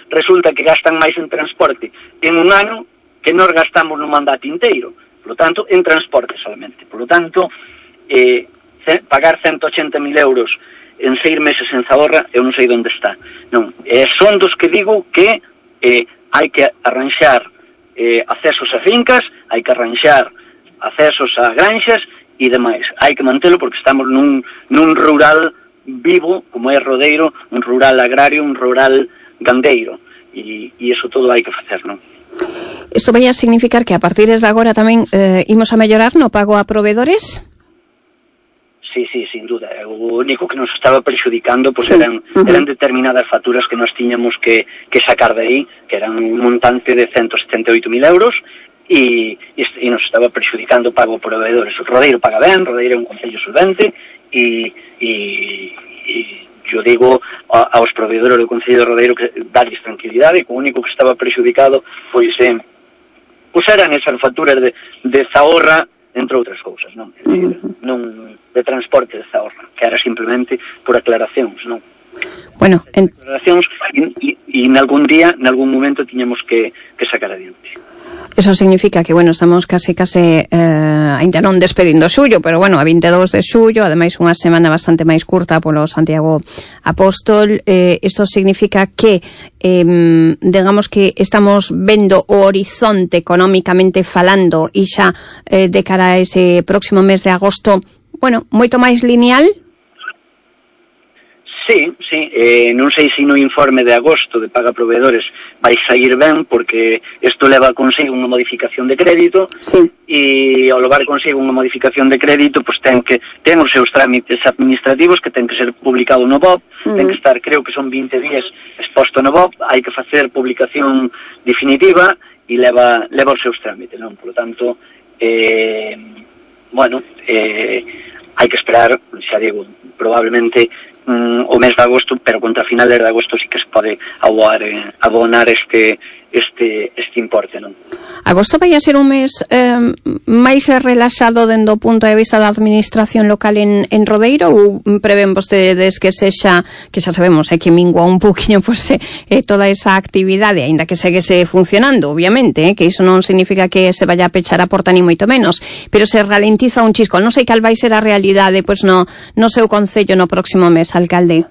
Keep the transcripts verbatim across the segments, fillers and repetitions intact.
resulta que gastan máis en transporte en un ano que nós gastamos no mandato inteiro, por lo tanto, en transporte solamente. Por lo tanto, eh, pagar ciento ochenta mil euros en seis meses en Zahorra, eu non sei onde está. Non, eh, son dos que digo que eh, hai que arranxar eh, accesos a fincas, hai que arranxar accesos a granxas e demais. Hai que mantelo porque estamos nun, nun rural vivo, como é Rodeiro, un rural agrario, un rural gandeiro, e, e iso todo hai que facer, non? Isto vai a significar que a partir de agora tamén eh, imos a mellorar no pago a proveedores? Sí, sí, sin duda. O único que nos estaba perxudicando pues, sí. eran, uh-huh. eran determinadas facturas que nos tiñamos que, que sacar de aí, que eran un montante de ciento setenta e oito mil euros, e, e nos estaba perxudicando o pago a proveedores. O Rodeiro paga ben, Rodeiro é un concello solvente, e... e, e yo digo a, aos proveedores do Concello de Rodeiro que darles tranquilidade, que o único que estaba prexudicado pois, eh, pois eran esas facturas de, de Zahorra, entre outras cousas, non? Uh-huh. non de transporte de Zahorra, que era simplemente por aclaracións, non? Bueno, en... aclaracións e, e, e en algún día, en algún momento tiñamos que, que sacar adiante. Eso significa que, bueno, estamos case, case eh, ainda non despedindo xullo, pero, bueno, a veintidós de xullo, ademais unha semana bastante máis curta polo Santiago Apóstol. Eh, isto significa que, eh, digamos que estamos vendo o horizonte económicamente falando e xa eh, de cara a ese próximo mes de agosto, bueno, moito máis lineal. Sí, sí, eh, non sei se no informe de agosto de paga proveedores vai sair ben, porque isto leva consigo unha modificación de crédito, sí. E ao levar consigo unha modificación de crédito, pois ten que ten os seus trámites administrativos que ten que ser publicado no B O P, uh-huh. Ten que estar, creo que son vinte días exposto no B O P, hai que facer publicación definitiva e leva leva os seus trámites, non? Por lo tanto, eh, bueno, eh, hai que esperar, xa digo, probablemente Mm, o mes de agosto, pero contra finales de agosto sí que se pode abonar, eh, abonar este este este importe, non? Agosto vai a ser un mes eh, máis relaxado dende o punto de vista da administración local en, en Rodeiro, ou prevén vostedes que sexa, que xa sabemos, é que mingua un poquinho pues, eh, toda esa actividade, aínda que seguese funcionando, obviamente, eh, que iso non significa que se vaya a pechar a porta ni moito menos, pero se ralentiza un chisco. Non sei cal vai ser a realidade pues, no, no seu concello no próximo mes, alcalde.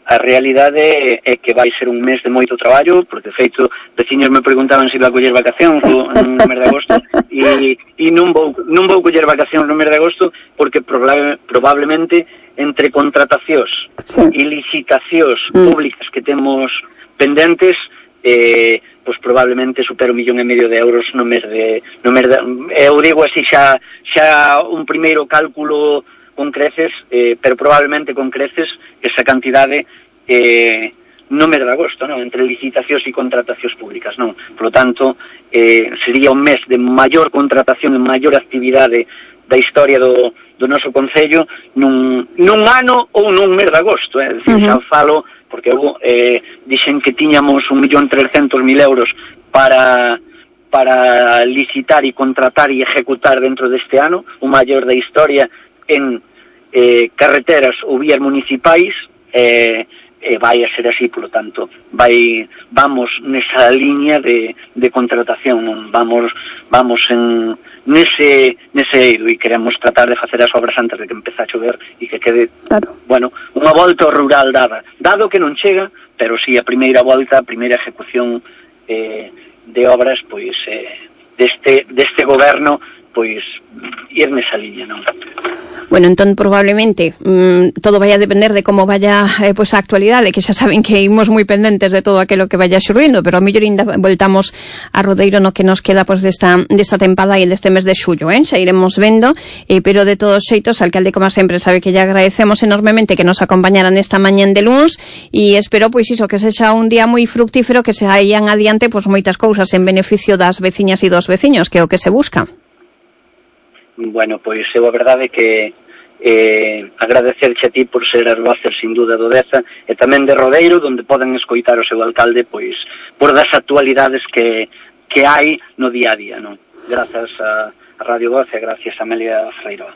A realidade é que vai ser un mes de moito traballo, porque de feito, veciños me preguntaban se iba a coller vacacións no mes de agosto, e, e non vou non vou coller vacacións no mes de agosto, porque probable, probablemente entre contratacións sí. e licitacións mm. públicas que temos pendentes, eh, pois probablemente supera un millón e medio de euros no mes de... No mes de eu digo así xa, xa un primeiro cálculo con creces, eh, pero probablemente con creces esa cantidade eh, no mes de agosto, non? Entre licitacións e contratacións públicas, non? Por lo tanto, eh, sería un mes de maior contratación e maior actividade da historia do, do noso concello nun, nun ano ou nun mes de agosto, é eh? dicir, uh-huh. xa falo, porque eu eh, dixen que tiñamos un millón trescentos mil euros para para licitar e contratar e ejecutar dentro deste ano, o maior da historia en eh, carreteras ou vías municipais, eh, eh, vai a ser así, polo tanto, vai, vamos nesa liña de, de contratación, non? vamos vamos en nese, nese eido, e queremos tratar de facer as obras antes de que empece a chover e que quede, claro. bueno, unha volta ao rural dada, dado que non chega, pero si sí, a primeira volta, a primeira ejecución eh, de obras, pois, eh, deste, deste goberno, pois, ir nesa liña, non? Bueno, entón probablemente mmm, todo vai a depender de como vaya eh, pues, a actualidade, que xa saben que imos moi pendentes de todo aquilo que vaya xurdindo, pero a mellor ainda voltamos a Rodeiro no que nos queda pues, desta, desta tempada e deste mes de xullo, eh? Xa iremos vendo, eh, pero de todos xeitos, alcalde, como sempre, sabe que lle agradecemos enormemente que nos acompañaran esta mañán de luns, e espero, pois iso, que sexa un día moi fructífero, que se hayan adiante pues, moitas cousas en beneficio das veciñas e dos veciños, que é o que se busca. Bueno, pois eu a verdade é que eh, agradecerche a ti por ser as voces sin duda do Deza e tamén de Rodeiro, onde poden escoitar o seu alcalde pois por das actualidades que, que hai no día a día, non? Grazas a, a Radio Voz e gracias a Amelia Freiroa.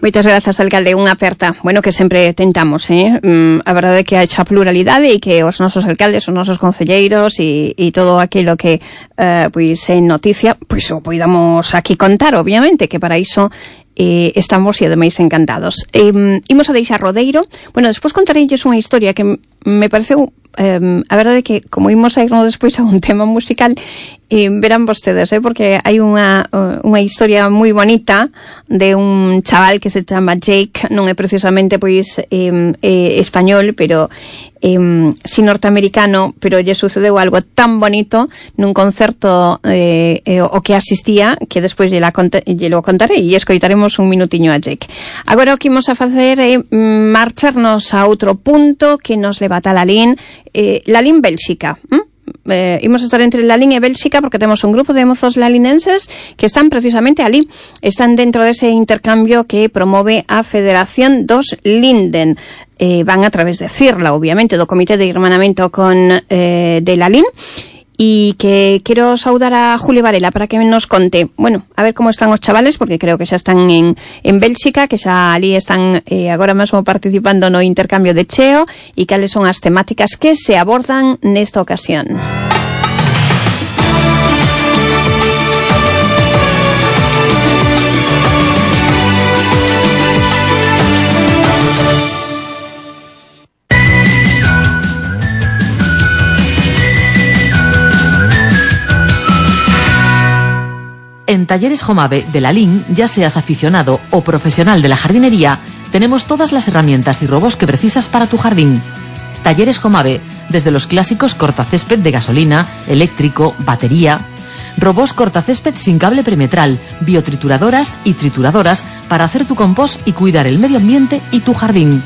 Moitas grazas, alcalde, unha aperta. Bueno, que sempre tentamos, eh? Mm, a verdade é que haxa pluralidade e que os nosos alcaldes, os nosos concelleiros e, e todo aquilo que eh, pois é noticia, pois o poidamos aquí contar, obviamente, que para iso eh, estamos e ademais encantados. Eh, imos a deixar Rodeiro. Bueno, despois contareilles unha historia que me pareceu, eh, a verdade é que como imos a irnos despois a un tema musical, eh, verán vostedes, eh, porque hai unha unha historia moi bonita de un chaval que se chama Jake, non é precisamente pois eh, eh, español, pero eh, si norteamericano, pero lle sucedeu algo tan bonito nun concerto eh, eh, o que asistía, que despois lle, la conta, lle lo contarei e escoitaremos un minutiño a Jake. Agora o que imos a facer é eh, marcharnos a outro punto que nos leva a Lalín, eh, Lalín, Bélxica. ¿Mm? Eh, imos a estar entre Lalín e Bélxica porque temos un grupo de mozos lalinenses que están precisamente ali, están dentro dese intercambio que promove a Federación dos Linden. Eh, van a través de CIRLA, obviamente, do Comité de Hermanamento con eh, de Lalín. Y que quiero saudar a Julio Varela para que nos conte, bueno, a ver cómo están os chavales, porque creo que xa están en, en Bélxica, que xa ali están eh, agora mesmo participando no intercambio de cheo, e cales son as temáticas que se abordan nesta ocasión. En Talleres Jomave de Lalín, ya seas aficionado o profesional de la jardinería, tenemos todas las herramientas y robos que precisas para tu jardín. Talleres Jomave, desde los clásicos cortacésped de gasolina, eléctrico, batería, robos cortacésped sin cable perimetral, biotrituradoras y trituradoras para hacer tu compost y cuidar el medio ambiente y tu jardín.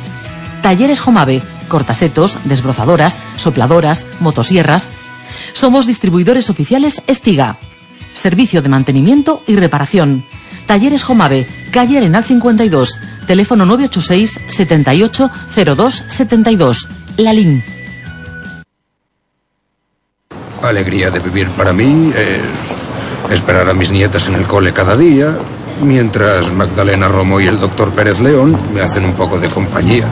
Talleres Jomave, cortasetos, desbrozadoras, sopladoras, motosierras. Somos distribuidores oficiales Estiga. Servicio de mantenimiento y reparación. Talleres Jomave, calle Arenal cincuenta y dos, teléfono nueve ocho seis, setenta y ocho, cero dos, setenta y dos, Lalín. Alegría de vivir para mí es esperar a mis nietas en el cole cada día, mientras Magdalena Romo y el doctor Pérez León me hacen un poco de compañía.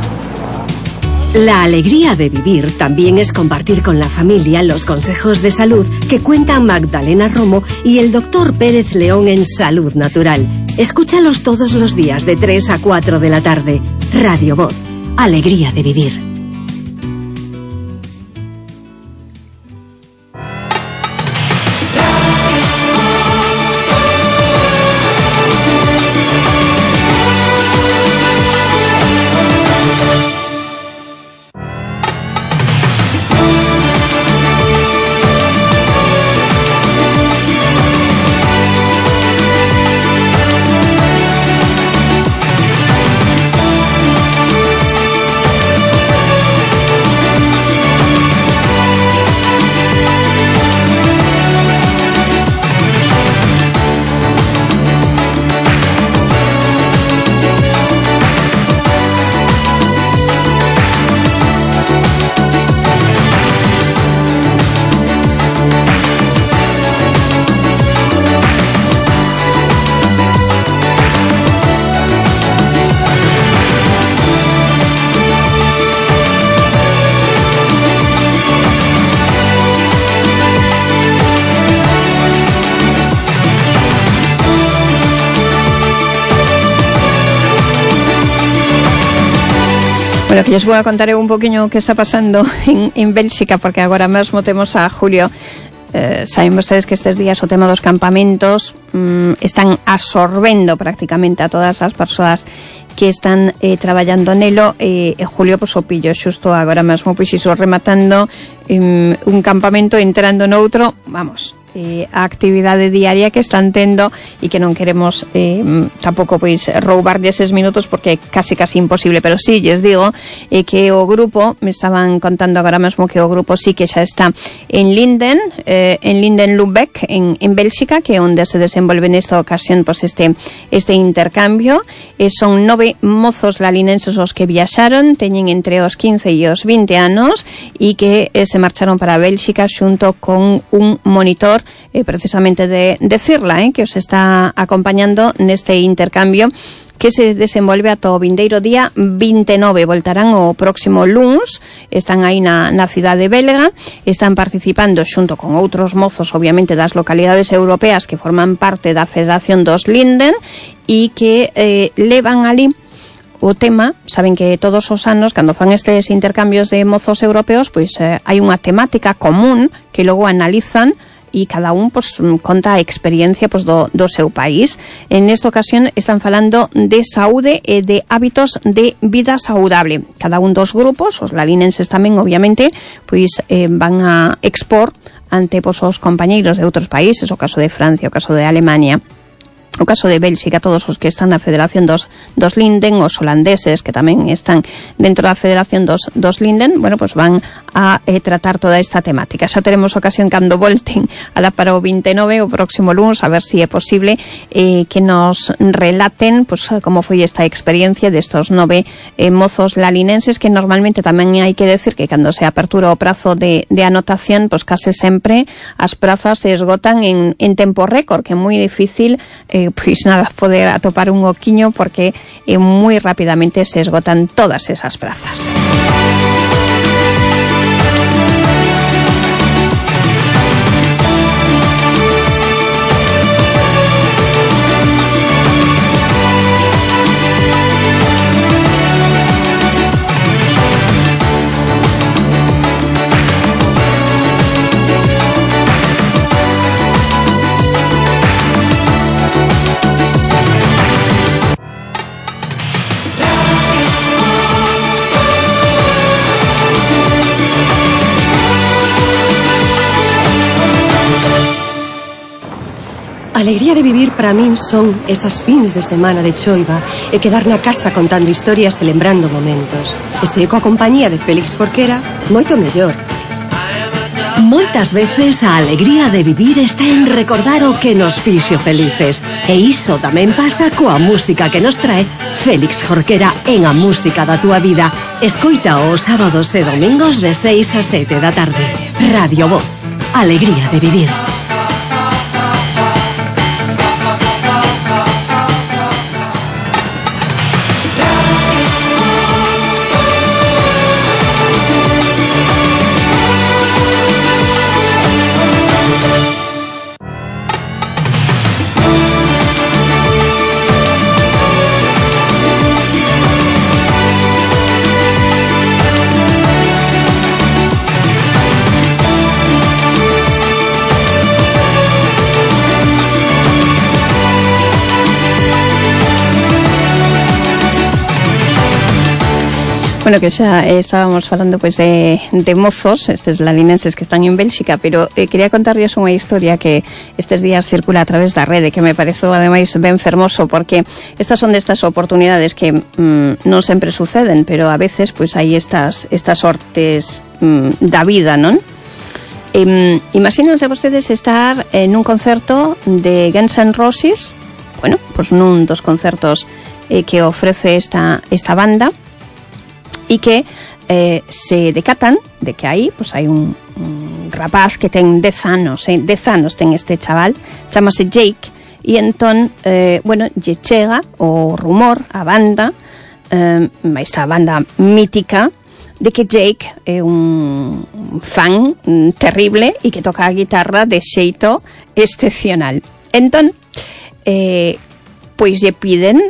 La alegría de vivir también es compartir con la familia los consejos de salud que cuentan Magdalena Romo y el doctor Pérez León en Salud Natural. Escúchalos todos los días de tres a cuatro de la tarde. Radio Voz. Alegría de vivir. Bueno, que lles vou a contar eu un poquinho o que está pasando en, en Bélxica, porque agora mesmo temos a Julio. Eh, saben vostedes que estes días o tema dos campamentos mm, están absorbendo prácticamente a todas as persoas que están eh, traballando nelo, e eh, Julio pois o pillo xusto agora mesmo pois iso rematando um, un campamento, entrando noutro, vamos, eh, a actividade diaria que están tendo e que non queremos eh, tampouco pois roubarlle eses minutos porque é casi casi imposible, pero sí, lles digo eh, que o grupo, me estaban contando agora mesmo que o grupo sí que xa está en Linden, eh, en Linden Lübeck, en, en Bélxica, que é onde se desenvolve nesta ocasión pois este, este intercambio. Eh, son nove mozos lalinenses os que viaxaron, teñen entre os quince e os vinte anos e que eh, se marcharon para Bélxica xunto con un monitor placer eh, precisamente de decirla, eh, que os está acompañando neste intercambio que se desenvolve ata o vindeiro día vinte e nove. Voltarán o próximo luns, están aí na, na cidade belga, están participando xunto con outros mozos, obviamente, das localidades europeas que forman parte da Federación dos Linden e que eh, levan ali o tema. Saben que todos os anos, cando fan estes intercambios de mozos europeos, pois eh, hai unha temática común que logo analizan e cada un pues, conta a experiencia pues, do, do seu país. En esta ocasión están falando de saúde e de hábitos de vida saudable. Cada un dos grupos, os lalinenses tamén, obviamente, pois eh, van a expor ante pues, os compañeiros de outros países, o caso de Francia, o caso de Alemania, o caso de Bélxica, todos os que están na Federación dos, dos Linden, os holandeses que tamén están dentro da Federación dos, dos Linden, bueno, pues van a eh, tratar toda esta temática. Xa teremos ocasión cando volten a dar para o vinte e nove, o próximo lunes, a ver si é posible eh, que nos relaten pues, como foi esta experiencia destos nove eh, mozos lalinenses, que normalmente tamén hai que decir que cando se apertura o prazo de, de anotación, pues case sempre as prazas se esgotan en, en tempo récord, que é moi difícil eh, pois nada, poder atopar un oquiño, porque eh, moi rapidamente se esgotan todas esas prazas. A alegría de vivir para min son esas fins de semana de choiva e quedar na casa contando historias e lembrando momentos. E se coa compañía de Félix Jorquera, moito mellor. Moitas veces a alegría de vivir está en recordar o que nos fixo felices. E iso tamén pasa coa música que nos trae Félix Jorquera en A Música da Túa Vida. Escoita os sábados e domingos de seis a sete da tarde. Radio Voz. Alegría de vivir. Bueno, que xa eh, estábamos falando pues de, de mozos, estes lalinenses que están en Bélxica, pero eh, quería contarles unha historia que estes días circula a través da rede, que me pareceu ademais ben fermoso, porque estas son destas oportunidades que mm, non sempre suceden, pero a veces pues hai estas estas sortes mm, da vida, non? Eh, imagínense vostedes estar en un concerto de Guns N' Roses, bueno, pues nun dos concertos eh, que ofrece esta esta banda, e que eh, se decatan de que aí pues, hai un, un rapaz que ten dez anos, eh, dez anos ten este chaval, chamase Jake, e entón, eh, bueno, lle chega o rumor, a banda, eh, esta banda mítica, de que Jake é un fan terrible e que toca a guitarra de xeito excepcional. Entón, eh, pois lle piden,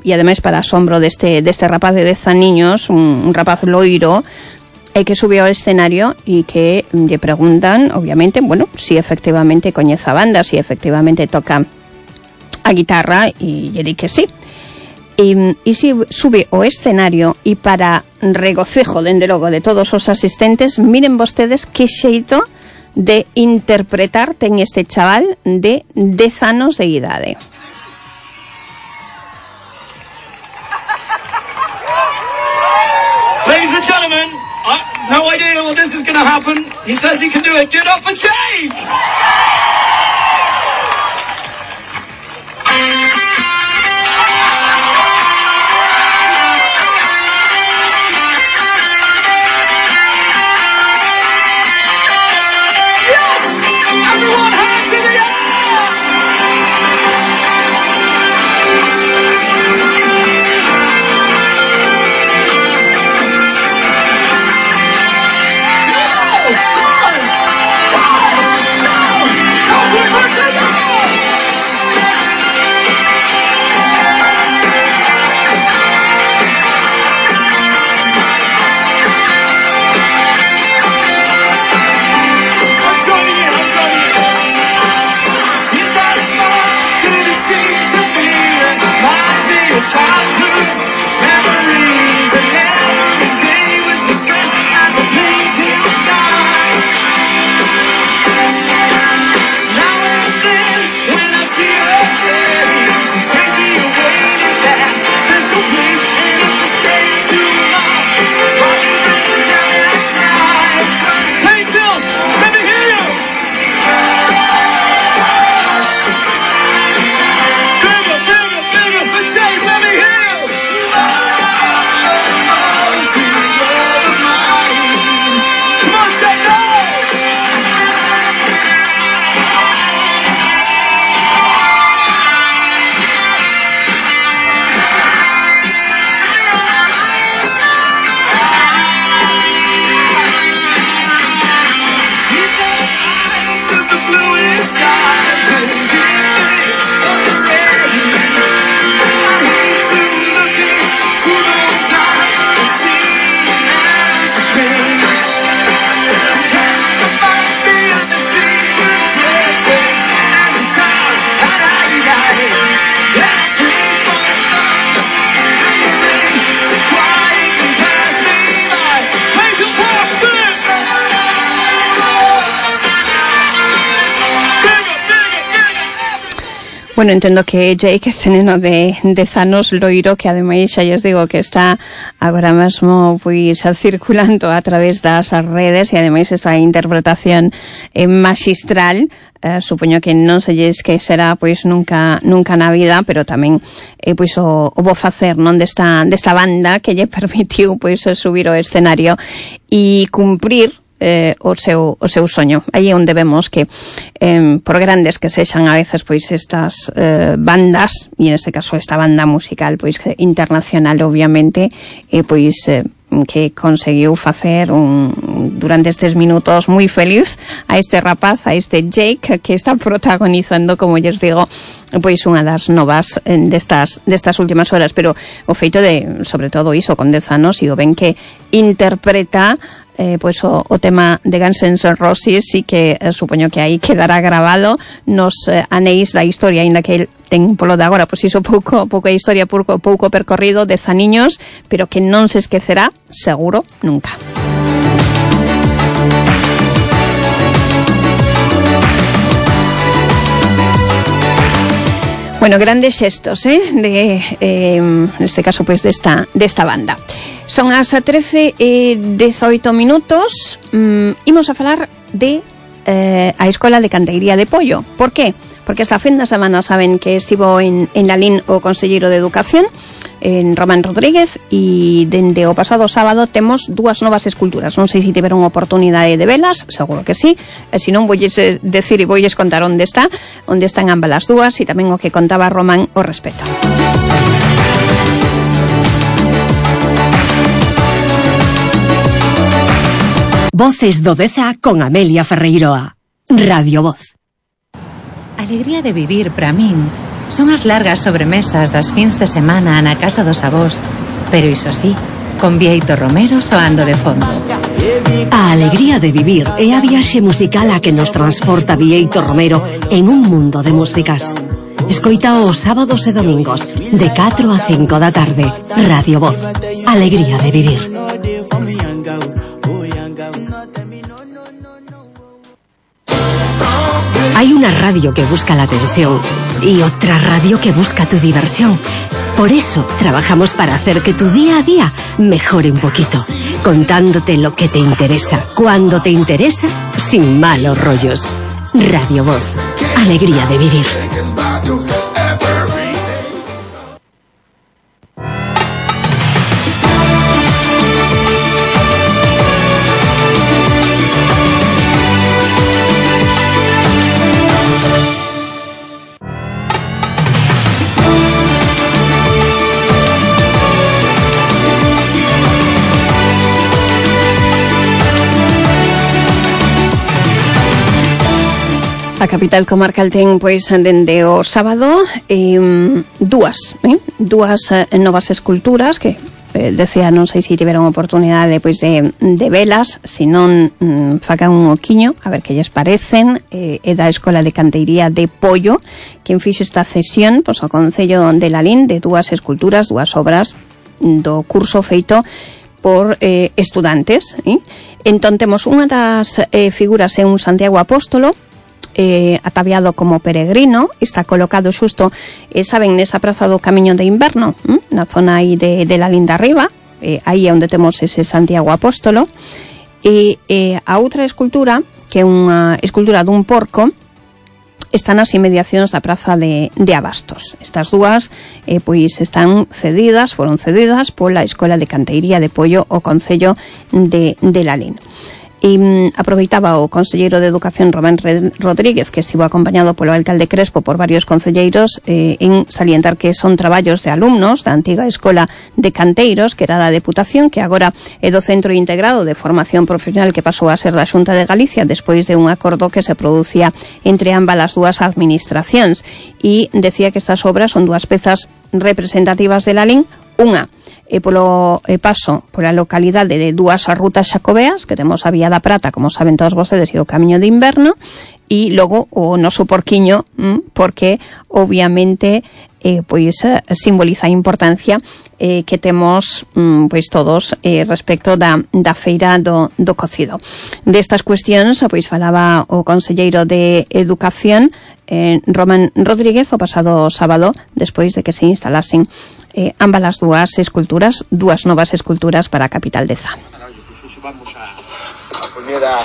e ademais para asombro deste, deste rapaz de dez aniños, un, un rapaz loiro, e que sube ao escenario e que lle preguntan, obviamente, bueno, si efectivamente coñece a banda, si efectivamente toca a guitarra, e lle di que sí. E, e si sube ao escenario, e para regocejo, dende logo, de todos os asistentes, miren vostedes que xeito de interpretar ten este chaval de dez anos de idade. Ladies and gentlemen, I have no idea what this is going to happen. He says he can do it. Give it up for Jake! Yes! Everyone hands Bueno, entendo que Jake este neno de dez anos loiro que ademais xa lles digo que está agora mesmo pois circulando a través das redes e ademais esa interpretación eh, magistral. Uh, supoño que non se lle esquecerá pois nunca nunca na vida, pero tamén eh, pois o, o bo facer non desta desta banda que lle permitiu pois subir ao escenario e cumprir eh, o seu o seu soño. Aí é onde vemos que eh, por grandes que sexan a veces pois estas eh, bandas, e neste caso esta banda musical pois internacional obviamente, eh, pois eh, que conseguiu facer un, durante estes minutos moi feliz a este rapaz, a este Jake, que está protagonizando, como lles digo, pois unha das novas destas, destas últimas horas, pero o feito de, sobre todo iso, con dez anos, e o ben que interpreta eh, pois o, o tema de Guns N' Roses, e que eh, supoño que aí quedará grabado nos eh, anéis da historia, aínda que el ten polo de agora, pois iso pouco, pouca historia, pouco, pouco percorrido, dez aniños, pero que non se esquecerá, seguro, nunca. Bueno, grandes xestos, eh, de, eh, neste caso, pois, desta, desta banda. Son as trece e dezoito minutos, mm, imos a falar de eh, a Escola de Canteiría de Pollo. Por qué? Porque esta fin de semana saben que estivo en, en Lalín o conselleiro de Educación, en Román Rodríguez, e dende o pasado sábado temos dúas novas esculturas. Non sei se tiveron oportunidade de velas, seguro que sí, e se non voulles decir e voulles contar onde está, onde están ambas as dúas, e tamén o que contaba Román ao respecto. Voces do Deza con Amelia Ferreiroa. Radio Voz. Alegría de vivir para min son as largas sobremesas das fins de semana na casa dos avós, pero iso sí, con Bieito Romero soando de fondo. A alegría de vivir é a viaxe musical a que nos transporta Bieito Romero en un mundo de músicas. Escoita os sábados e domingos de catro a cinco da tarde. Radio Voz. Alegría de vivir. Hay una radio que busca la atención y otra radio que busca tu diversión. Por eso trabajamos para hacer que tu día a día mejore un poquito, contándote lo que te interesa, cuando te interesa, sin malos rollos. Radio Voz. Alegría de vivir. A capital comarcal ten, pois, dende o sábado eh, dúas, eh, dúas eh, novas esculturas que eh, decía, non sei se tiveron oportunidade pois de, de velas, se non mm, facan un oquiño a ver que lles parecen. Eh, é da Escola de Canteiría de Pollo quen fixo esta cesión pois, ao Concello de Lalín de dúas esculturas, dúas obras do curso feito por eh, estudantes, eh? Entón temos unha das eh, figuras é un Santiago Apóstolo eh, ataviado como peregrino, está colocado xusto, eh, saben, nesa praza do Camiño de Inverno, eh? Na zona aí de, de la Linda Arriba, eh, aí é onde temos ese Santiago Apóstolo, e eh, a outra escultura, que é unha escultura dun porco, está nas inmediacións da praza de, de Abastos. Estas dúas eh, pois están cedidas, foron cedidas pola Escola de Canteiría de Pollo ao Concello de, de Lalín. E mm, aproveitaba o conselleiro de Educación Román Rodríguez, que estivo acompañado polo alcalde Crespo por varios concelleiros, eh, en salientar que son traballos de alumnos da antiga Escola de Canteiros, que era da Deputación, que agora é do Centro Integrado de Formación Profesional, que pasou a ser da Xunta de Galicia despois de un acordo que se producía entre ambas as dúas administracións. E decía que estas obras son dúas pezas representativas de Lalín, unha e polo e paso pola localidade de dúas rutas xacobeas, que temos a Vía da Prata, como saben todos vostedes, e o Camiño de Inverno, e logo o noso porquiño, porque obviamente eh, pois simboliza a importancia eh, que temos pois todos eh, respecto da, da feira do, do cocido. Destas cuestións pois falaba o conselleiro de Educación, eh, Román Rodríguez o pasado sábado, despois de que se instalasen eh, ambas as dúas esculturas, dúas novas esculturas para a capital de Zá. Vamos a, a poñer a,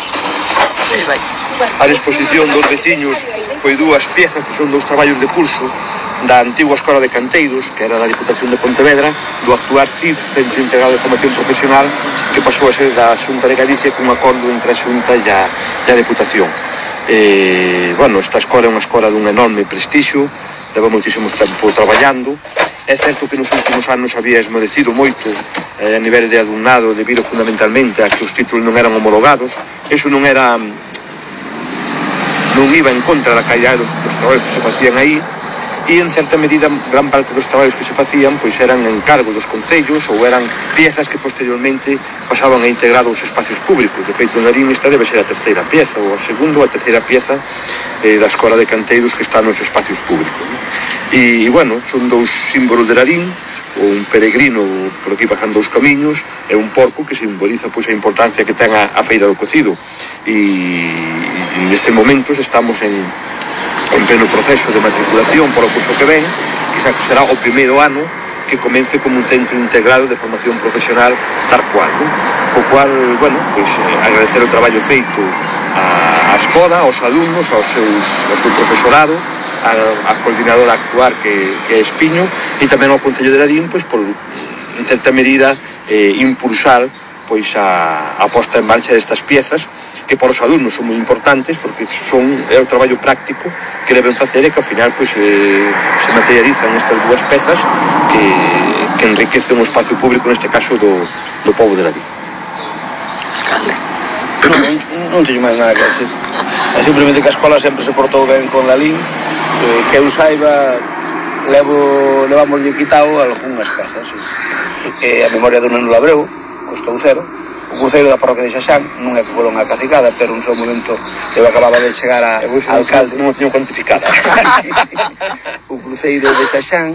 a disposición dos veciños foi dúas piezas que son dous traballos de curso da antigua Escola de Canteiros, que era da Diputación de Pontevedra, do actual C I F, Centro Integrado de Formación Profesional, que pasou a ser da Xunta de Galicia cun acordo entre a Xunta e a, e a Diputación. Eh, bueno, esta escola é unha escola dun enorme prestixio, leva moitísimo tempo traballando. É certo que nos últimos anos había esmodecido moito eh, a nivel de alumnado debido fundamentalmente a que os títulos non eran homologados. Eso non era non iba en contra da calidad dos, dos traballos que se facían aí, e en certa medida gran parte dos traballos que se facían pois eran encargo dos concellos ou eran piezas que posteriormente pasaban a integrar os espacios públicos. De feito, en Larín esta debe ser a terceira pieza ou a segunda ou a terceira pieza eh, da Escola de Canteiros que está nos espacios públicos, ¿no? E, e bueno, son dous símbolos de Larín, un peregrino por aquí bajando os camiños e un porco que simboliza pois a importancia que ten a, a Feira do Cocido. E, e nestes momentos estamos en en pleno proceso de matriculación por o curso que ven, que será o primeiro ano que comence como un centro integrado de formación profesional tal cual, ¿no? O cual, bueno, pois eh, agradecer o traballo feito á, á escola, aos alumnos, aos seus, ao seu profesorado, a, a coordinadora actual que, que é Espiño, e tamén ao Concello de Larín, pois por, en certa medida, eh, impulsar pois a, a posta en marcha destas piezas que para os alumnos son moi importantes porque son é o traballo práctico que deben facer e que ao final pois eh, se materializan estas dúas pezas que, que enriquecen o espacio público, neste caso do, do povo de Larín. Non, non teño máis nada que decir. É simplemente que a escola sempre se portou ben con Larín, eh, que eu saiba levo, levamos quitado algunhas pezas, sí. Eh, a memoria do Neno Labreu costou cero. O cruceiro da parroquia de Xaxán non é que foron a cacicada, pero un seu momento eu acababa de chegar a, a alcalde. Non o teño cuantificada. O cruceiro de Xaxán,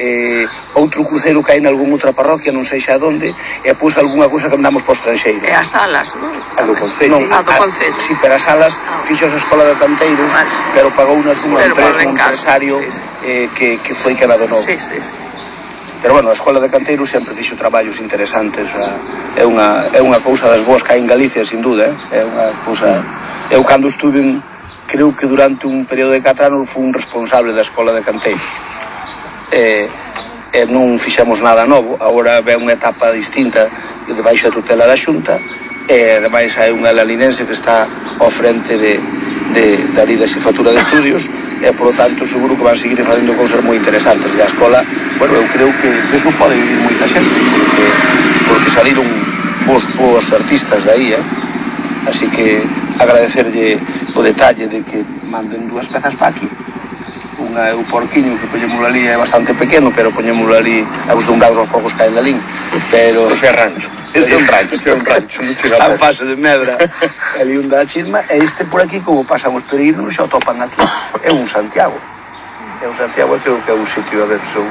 eh, outro cruceiro que hai en algún outra parroquia, non sei xa onde, e pus algunha cousa que andamos por estranxeiro. E as salas, non? A do Concello. Non, a do Concello. Si, pero as salas ah. fixo a Escola de Canteiros, vale. Pero pagou unha suma empresa, un empresario sí, sí. Eh, que, que foi que nada novo. Sí, sí, sí. Pero bueno, a Escola de Canteiros sempre fixo traballos interesantes, é unha, é unha cousa das boas que hai en Galicia, sin duda, é unha cousa... Eu cando estuve, en, creo que durante un período de catro anos fui un responsable da Escola de Canteiros. E, e non fixemos nada novo, agora ve unha etapa distinta debaixo da tutela da Xunta, e ademais hai unha lalinense que está ao frente de, de, da lei da xefatura de estudios, e por lo tanto seguro que van seguir facendo cousas moi interesantes. E a escola, bueno, eu creo que eso pode vivir moita xente, porque, porque saliron bons, bons artistas de aí, eh? Así que agradecerlle o detalle de que manden dúas pezas para aquí. Unha é o porquiño que poñémolo ali, é bastante pequeno, pero poñémolo ali acostumbrados aos porcos que hai en Lalín, pero... Ese é rancho. Ese é un rancho. Ese é un rancho. Está en fase de medra. Ali un da chisma, e este por aquí, como pasan os peregrinos, xa o topan aquí. É un Santiago. É un Santiago, creo que é un sitio, a ver, son...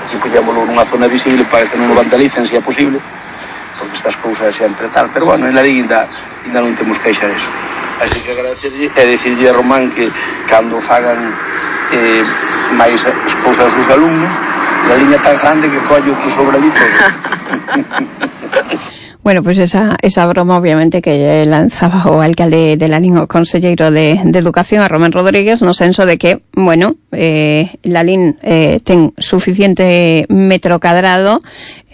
Aquí poñémolo nunha zona visible para que non o vandalicen, se é posible, porque estas cousas sempre tal. Pero, bueno, en Lalín ainda, ainda non temos queixa deso. Así que agradecerlle e dicirlle a Román que cando fagan eh, máis as cousas aos alumnos, a liña tan grande que collo que sobra ali todo. Bueno, pues esa, esa broma obviamente que lanzaba o alcalde de Lalín, o conselleiro de, de Educación, a Román Rodríguez, no senso de que, bueno, eh, Lalín eh, ten suficiente metro cadrado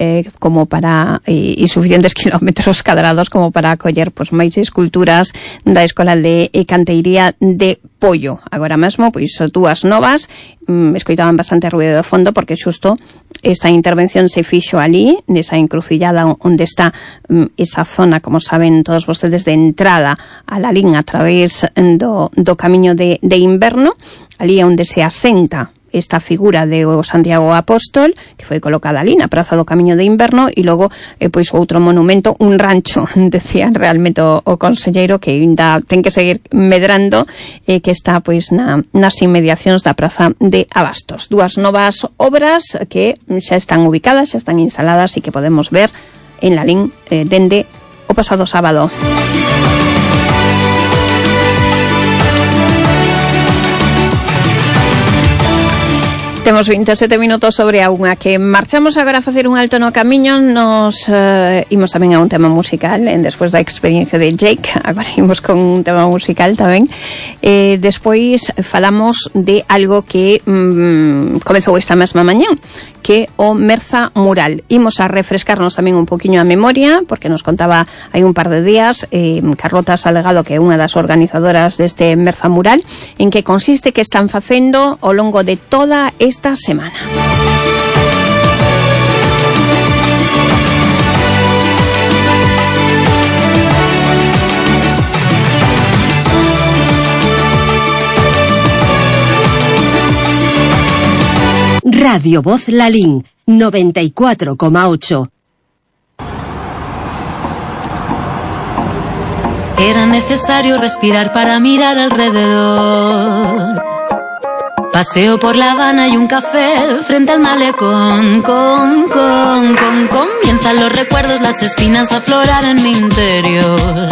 eh, como para e, e suficientes kilómetros cadrados como para acoller pues máis esculturas da Escola de Canteiría de Pollo. Agora mesmo, pois, dúas novas, mm, escoitaban bastante ruido de fondo porque xusto esta intervención se fixo ali, nesa encrucillada onde está mm, esa zona, como saben todos vostedes, de entrada a Lalín a través do, do camiño de, de inverno, ali onde se asenta esta figura de o Santiago Apóstol, que foi colocada ali na Praza do Camiño de Inverno, e logo eh, pois outro monumento, un rancho, decía realmente o, o conselleiro, que ainda ten que seguir medrando, eh, que está pois na, nas inmediacións da Praza de Abastos. Dúas novas obras que xa están ubicadas, xa están instaladas e que podemos ver en Lalín eh, dende o pasado sábado. Temos veintisiete minutos sobre a unha, que marchamos agora a facer un alto no camiño. Nos uh, imos tamén a un tema musical, en despois da experiencia de Jake. Agora imos con un tema musical tamén. Eh, despois falamos de algo que mm, comezou esta mesma mañá, que o Merza Mural. Imos a refrescarnos tamén un poquinho a memoria, porque nos contaba hai un par de días eh, Carlota Salgado, que é unha das organizadoras deste Merza Mural, en que consiste, que están facendo ao longo de toda esta semana. Radio Voz Lalín, noventa y cuatro coma ocho. Era necesario respirar para mirar alrededor. Paseo por La Habana y un café frente al malecón. Con, con, con, comienzan los recuerdos, las espinas a aflorar en mi interior.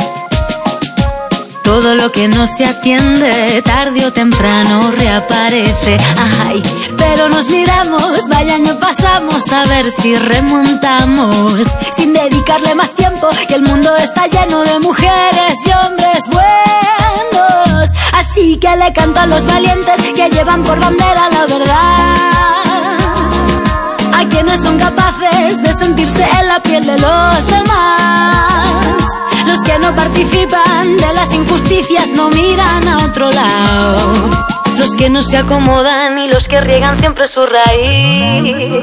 Todo lo que no se atiende, tarde o temprano reaparece. Ay, pero nos miramos, vaya año pasamos, a ver si remontamos. Sin dedicarle más tiempo, que el mundo está lleno de mujeres y hombres buenos. Así que le canto a los valientes que llevan por bandera la verdad. A quienes son capaces de sentirse en la piel de los demás. Los que no participan de las injusticias, no miran a otro lado. Los que no se acomodan y los que riegan siempre su raíz.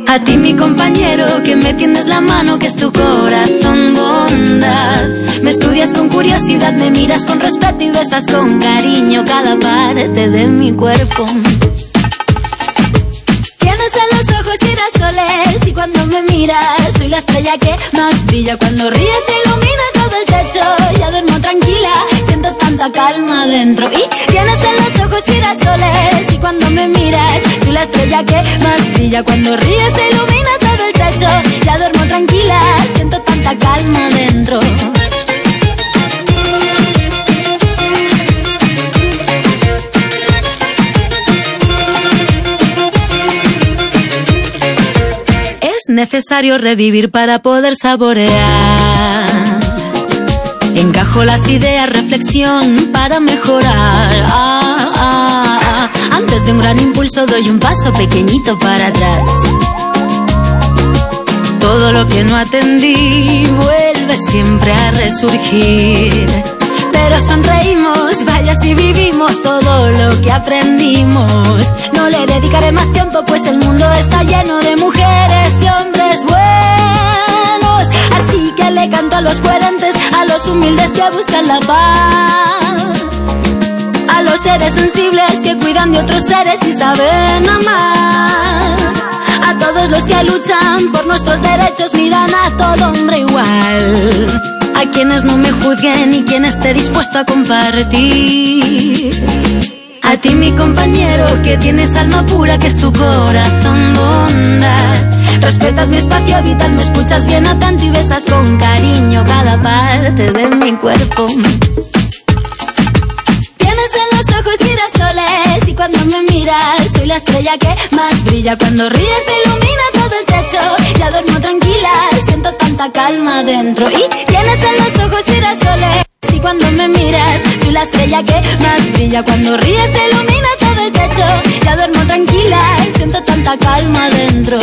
A ti, mi compañero, que me tiendes la mano, que es tu corazón bondad. Me estudias con curiosidad, me miras con respeto y besas con cariño cada parte de mi cuerpo. Tienes en los ojos girasoles y cuando me miras soy la estrella que más brilla. Cuando ríes se ilumina todo el techo, ya duermo tranquila, siento tanta calma dentro. Y tienes en los ojos girasoles y cuando me miras soy la estrella que más brilla. Cuando ríes se ilumina todo el techo, ya duermo tranquila, siento tanta calma dentro. Es necesario revivir para poder saborear. Encajo las ideas, reflexión para mejorar. Ah, ah, ah. Antes de un gran impulso doy un paso pequeñito para atrás. Todo lo que no atendí vuelve siempre a resurgir. Pero sonreímos, vaya si vivimos todo lo que aprendimos. No le dedicaré más tiempo, pues el mundo está lleno de mujeres y hombres buenos. Así que le canto a los coherentes, a los humildes que buscan la paz, a los seres sensibles que cuidan de otros seres y saben amar, a todos los que luchan por nuestros derechos, miran a todo hombre igual, a quienes no me juzguen y quien esté dispuesto a compartir. A ti, mi compañero, que tienes alma pura, que es tu corazón bondad. Respetas mi espacio vital, me escuchas bien atento y besas con cariño cada parte de mi cuerpo. Tienes en los ojos girasoles y cuando me miras soy la estrella que más brilla. Cuando ríes se ilumina todo el techo, ya duermo tranquila, siento tanta calma dentro. Y tienes en los ojos girasoles y cuando me miras soy la estrella que más brilla. Cuando ríes se ilumina todo el techo, ya duermo tranquila, siento tanta calma dentro.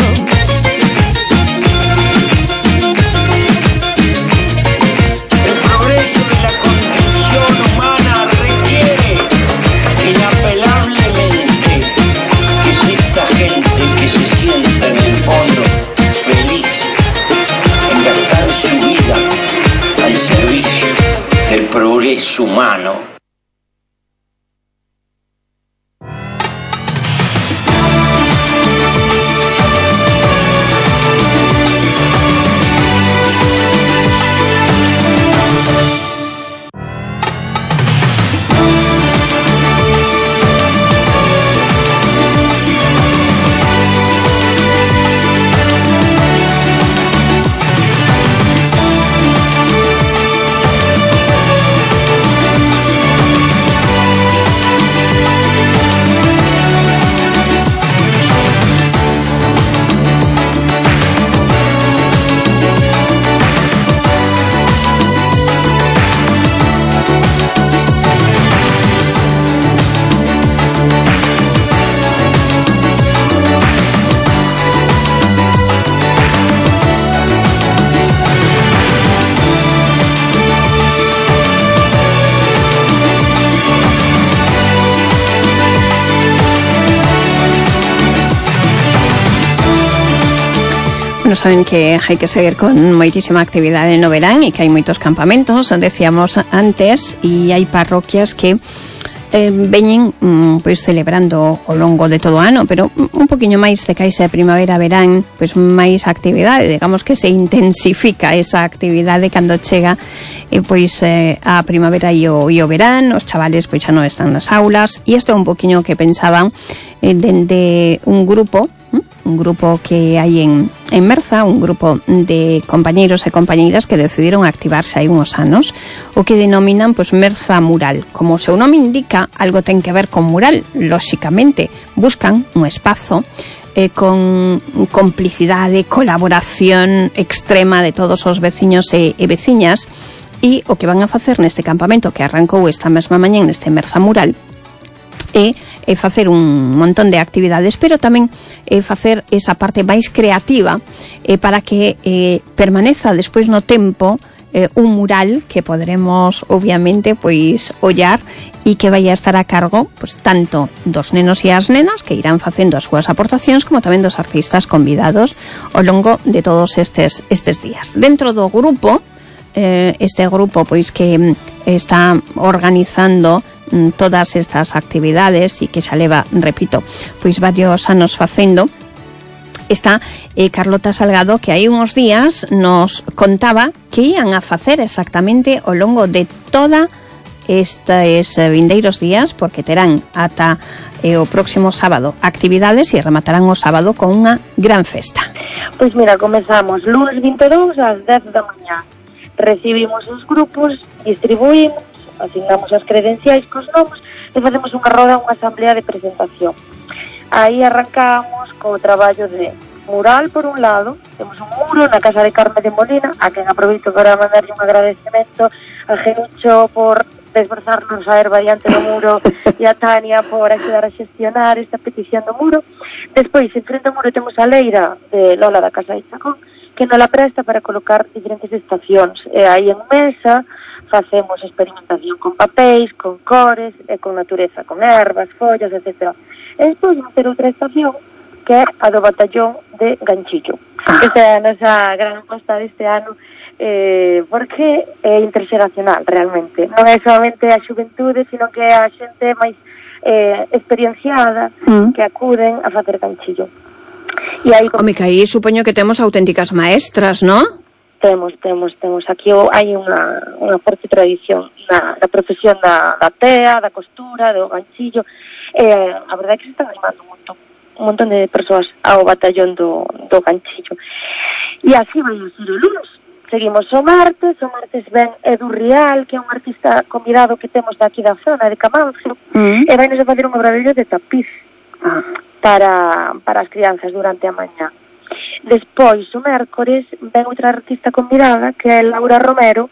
Progreso humano. Bueno, saben que hai que seguir con moitísima actividade no verán e que hai moitos campamentos, decíamos antes, e hai parroquias que eh, veñen mm, pois celebrando ao longo de todo o ano, pero un poquinho máis de caixa de primavera, verán, pois máis actividade, digamos que se intensifica esa actividade cando chega eh, pois eh, a primavera e o, e o verán, os chavales pois xa non están nas aulas, e isto é un poquinho que pensaban eh, dende un grupo un grupo que hai en, en Merza, un grupo de compañeiros e compañeiras que decidiron activarse hai uns anos, o que denominan pois Merza Mural. Como o seu nome indica, algo ten que ver con mural, lóxicamente. Buscan un espazo eh, con complicidade, colaboración extrema de todos os veciños e, e veciñas, e o que van a facer neste campamento que arrancou esta mesma mañá neste Merza Mural é e facer un montón de actividades, pero tamén eh, facer esa parte máis creativa eh, para que eh, permaneza despois no tempo eh, un mural que podremos obviamente pois ollar e que vai a estar a cargo pois tanto dos nenos e as nenas que irán facendo as súas aportacións como tamén dos artistas convidados ao longo de todos estes estes días. Dentro do grupo, eh, este grupo pois que está organizando todas estas actividades e que xa leva, repito, pois varios anos facendo, está eh, Carlota Salgado, que hai uns días nos contaba que ian a facer exactamente ao longo de toda estes vindeiros días, porque terán ata eh, o próximo sábado actividades e rematarán o sábado con unha gran festa. Pois mira, comezamos lunes vinte e dous ás dez da mañá. Recibimos os grupos, distribuímos, asignamos as credenciais cos nomes e facemos unha roda, unha asamblea de presentación. Aí arrancamos co traballo de mural, por un lado, temos un muro na casa de Carme de Molina, a quen aproveito para mandarlle un agradecemento a Genucho por desbrozarnos a erva diante do muro e a Tania por axudar a xestionar esta petición do muro. Despois, en frente ao muro temos a leira de Lola da Casa de Chacón, que nos la presta para colocar diferentes estacións. E aí en mesa facemos experimentación con papéis, con cores e con natureza, con ervas, follas, etcétera. E despois vamos ter outra estación que é a do batallón de Ganchillo. Ah. Esta é a nosa gran aposta deste ano, eh, porque é interxeracional realmente. Non é solamente a xuventude, sino que é a xente máis eh, experienciada mm. que acuden a facer Ganchillo. E aí, home, que aí supoño que temos auténticas maestras, non? Temos, temos, temos. Aquí hai unha, unha forte tradición na, na profesión da, da tea, da costura, do ganchillo. Eh, a verdade é que se están animando un montón, un montón de persoas ao batallón do, do ganchillo. E así vai a ser o lunes. Seguimos o martes, o martes ven Edu Rial, que é un artista convidado que temos daqui da zona, de Camanzo, mm. e vai nos a facer un obradoiro de tapiz ah. para, para as crianzas durante a mañá. Despois, o mércores, ven outra artista convidada, que é Laura Romero,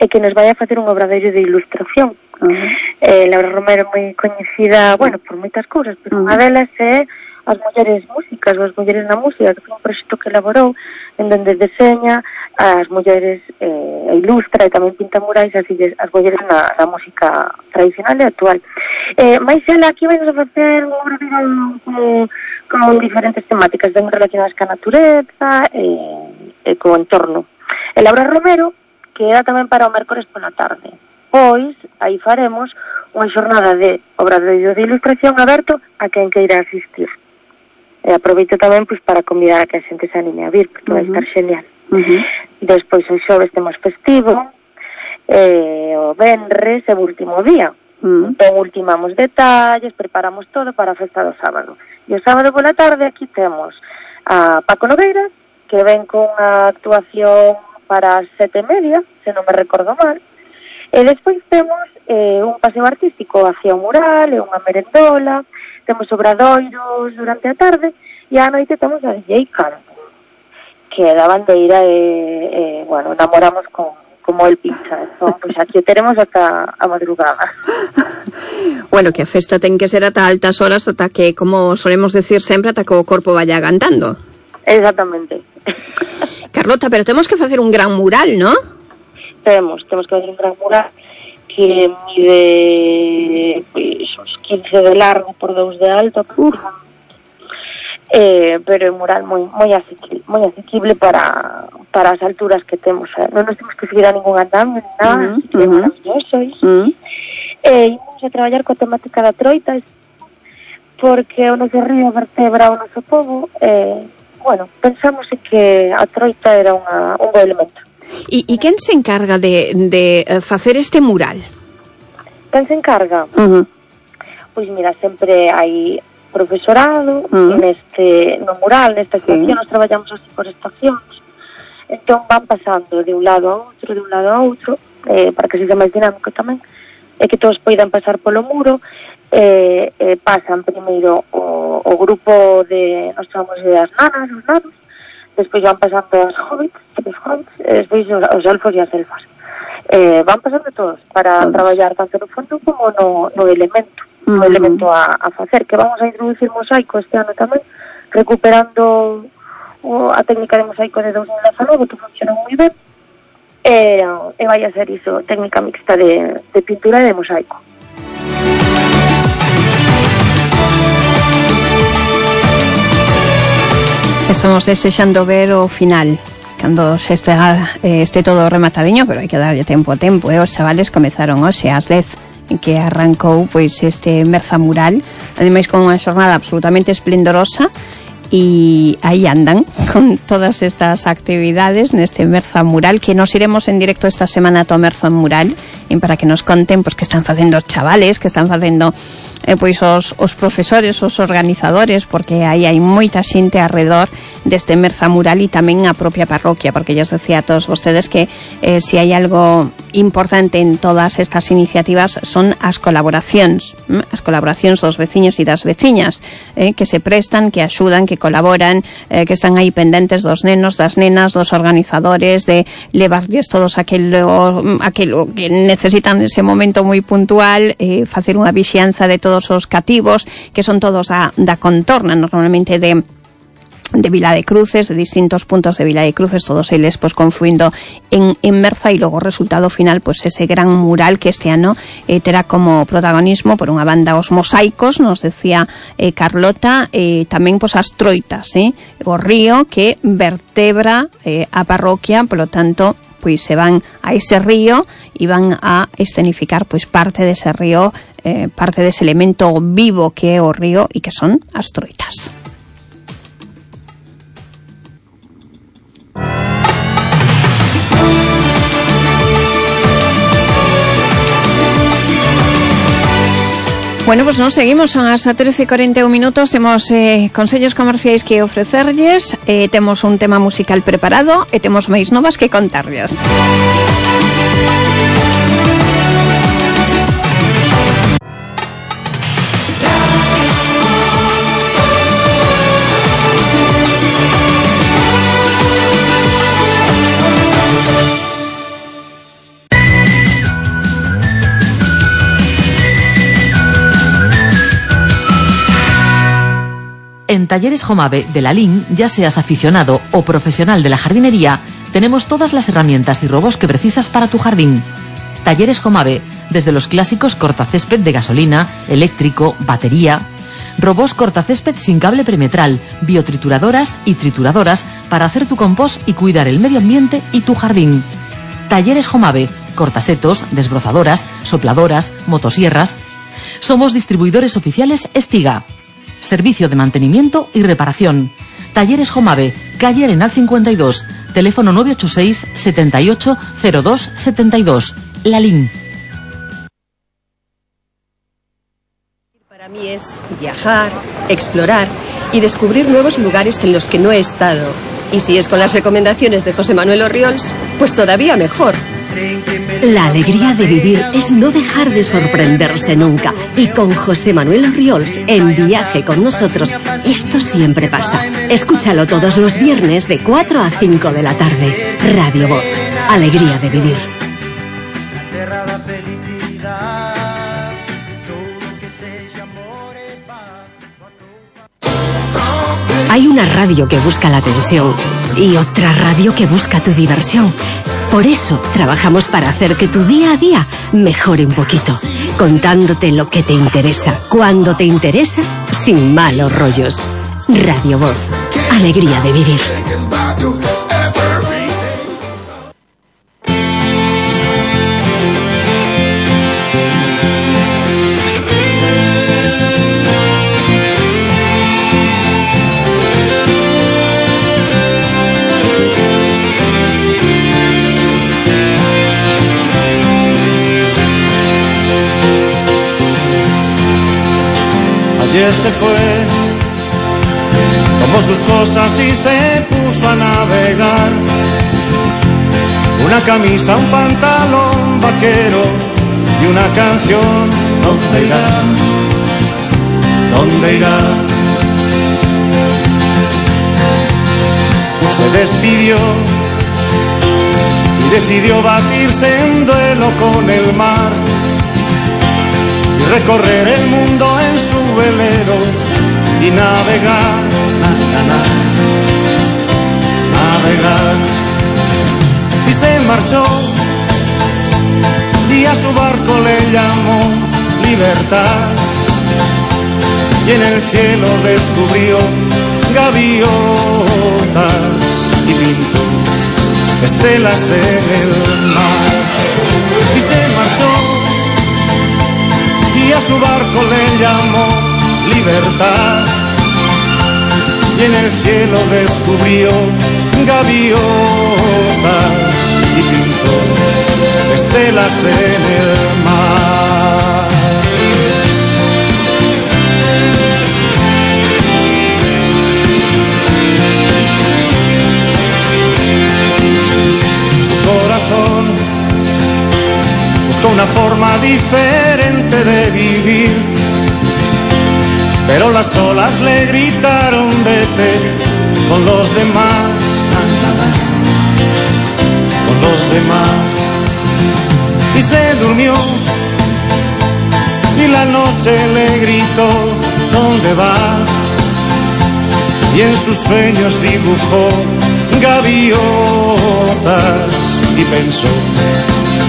e que nos vai a facer un obradoiro de ilustración. Uh-huh. eh, Laura Romero é moi coñecida, bueno, por moitas cousas, pero uh-huh. unha delas é as mulleres músicas, ou as mulleres na música, que foi un proxecto que elaborou, en donde deseña as mulleres, eh, ilustra e tamén pinta murais as, as mulleres na, na música tradicional e actual. Eh, mais ela aquí vai nos a facer un obradoiro como con diferentes temáticas ben relacionadas ca natureza e, e co entorno. E Laura Romero queda tamén para o mércores pola tarde. Pois, aí faremos unha xornada de obradoiro de ilustración aberto a quen queira asistir. E aproveito tamén pois, para convidar a que a xente se anime a vir, porque uh-huh. vai estar genial. Uh-huh. Despois, o xoves temos festivo, e o venres é o último día. Uh-huh. Entón, ultimamos detalles, preparamos todo para a festa do sábado. E o sábado pola tarde aquí temos a Paco Nogueira, que ven con unha actuación para as sete e media, se non me recordo mal. E despois temos eh, un paseo artístico hacia o mural, e unha merendola, temos obradoiros durante a tarde, e á noite temos a D J Canto, que da bandeira e, eh, bueno, namoramos con como el pincha, entón, pois aquí teremos ata a madrugada. Bueno, que a festa ten que ser ata altas horas, ata que, como solemos decir sempre, ata que o corpo vaya agantando. Exactamente. Carlota, pero temos que facer un gran mural, ¿no? Temos, temos que facer un gran mural que mide pois, uns quince de largo por dous de alto. Uh. eh, pero é un mural moi moi asequible, moi asequible para para as alturas que temos, eh? Non nos temos que seguir a ningún andamio ni nada, uh -huh, así que uh -huh. é maravilloso iso. Uh -huh. Eh, imos a traballar coa temática da troita, porque o noso río vertebra o noso pobo, eh, bueno, pensamos en que a troita era unha, un bo elemento. E, e quen se encarga de, de facer este mural? Quen se encarga? Uh -huh. Pois mira, sempre hai profesorado, uh -huh. neste, no mural, nesta estación, sí. Nos traballamos así por estacións, entón van pasando de un lado a outro, de un lado a outro, eh, para que sexa máis dinámico tamén, e que todos poidan pasar polo muro, eh, eh, pasan primeiro o, o grupo de, nos chamamos de as nanas, os nanos, despois van pasando as hobbits, os hobbits, e despois os, os elfos e as elfas. Eh, van pasando todos para todos. Traballar tanto no fondo como no, no elemento, uh -huh. no elemento a, a facer, que vamos a introducir mosaico este ano tamén, recuperando o, a técnica de mosaico de dos mil dezanove, que funciona moi ben, e, e vai a ser iso, técnica mixta de, de pintura e de mosaico. Estamos desexando ver o final cando se este, eh, este todo rematadiño, pero hai que darlle tempo a tempo, eh? Os chavales comezaron hoxe ás dez que arrancou pois este Merza Mural, ademais con unha xornada absolutamente esplendorosa, e aí andan con todas estas actividades neste Merza Mural, que nos iremos en directo esta semana to Merza Mural, e para que nos conten pois que están facendo os chavales, que están facendo eh, pois os, os profesores, os organizadores, porque aí hai moita xente alrededor deste Merza Mural, e tamén a propia parroquia, porque ya os decía a todos vostedes que eh, si hai algo importante en todas estas iniciativas son as colaboracións, ¿eh? as colaboracións dos veciños e das veciñas, eh, que se prestan, que axudan, que colaboran, eh, que están aí pendentes dos nenos, das nenas, dos organizadores, de levarlles todos aquelo, aquelo que necesitan nese momento moi puntual, eh, facer unha vixianza de todos os cativos, que son todos da, da contorna, normalmente de de Vila de Cruces, de distintos puntos de Vila de Cruces, todos eles pues confluindo en, en Merza, e logo o resultado final, pues ese gran mural que este ano eh, terá como protagonismo por unha banda os mosaicos, nos decía eh, Carlota, eh, tamén pues as troitas, eh, o río que vertebra eh, a parroquia, polo tanto pois se van a ese río e van a escenificar pois parte dese río, eh, parte dese elemento vivo que é o río, e que son as troitas. Bueno, pues nos seguimos, son as trece e cuarenta e un minutos, temos eh, consellos comerciais que ofrecerlles, eh, temos un tema musical preparado e temos máis novas que contarlles. En Talleres Jomave de la Lin, ya seas aficionado o profesional de la jardinería, tenemos todas las herramientas y robos que precisas para tu jardín. Talleres Jomave, desde los clásicos cortacésped de gasolina, eléctrico, batería, robos cortacésped sin cable perimetral, biotrituradoras y trituradoras para hacer tu compost y cuidar el medio ambiente y tu jardín. Talleres Jomave, cortasetos, desbrozadoras, sopladoras, motosierras. Somos distribuidores oficiales Estiga. Servicio de mantenimiento y reparación. Talleres Jomave, calle Arenal cincuenta y dos, teléfono nueve ocho seis, setenta y ocho, cero dos, setenta y dos. La Lin. Para mí es viajar, explorar y descubrir nuevos lugares en los que no he estado. Y si es con las recomendaciones de José Manuel Orriols, pues todavía mejor. La alegría de vivir es no dejar de sorprenderse nunca. Y con José Manuel Orriols en Viaje con nosotros, esto siempre pasa. Escúchalo todos los viernes de cuatro a cinco de la tarde. Radio Voz. Alegría de vivir. Hay una radio que busca la atención y otra radio que busca tu diversión. Por eso trabajamos para hacer que tu día a día mejore un poquito, contándote lo que te interesa, cuando te interesa, sin malos rollos. Radio Voz. Alegría de vivir. Ayer se fue, tomó sus cosas y se puso a navegar. Una camisa, un pantalón vaquero y una canción. ¿Dónde irá? ¿Dónde irá? Se despidió y decidió batirse en duelo con el mar y recorrer el mundo en su velero y navegar, na, na, na, navegar. Y se marchó y a su barco le llamó libertad, y en el cielo descubrió gaviotas y pintó estelas en el mar. Y se marchó y a su barco le llamó libertad, y en el cielo descubrió gaviotas y pintó estelas en el mar. Su corazón buscó una forma diferente de vivir, pero las olas le gritaron vete con los demás, na, na, na, con los demás. Y se durmió y la noche le gritó ¿dónde vas? Y en sus sueños dibujó gaviotas y pensó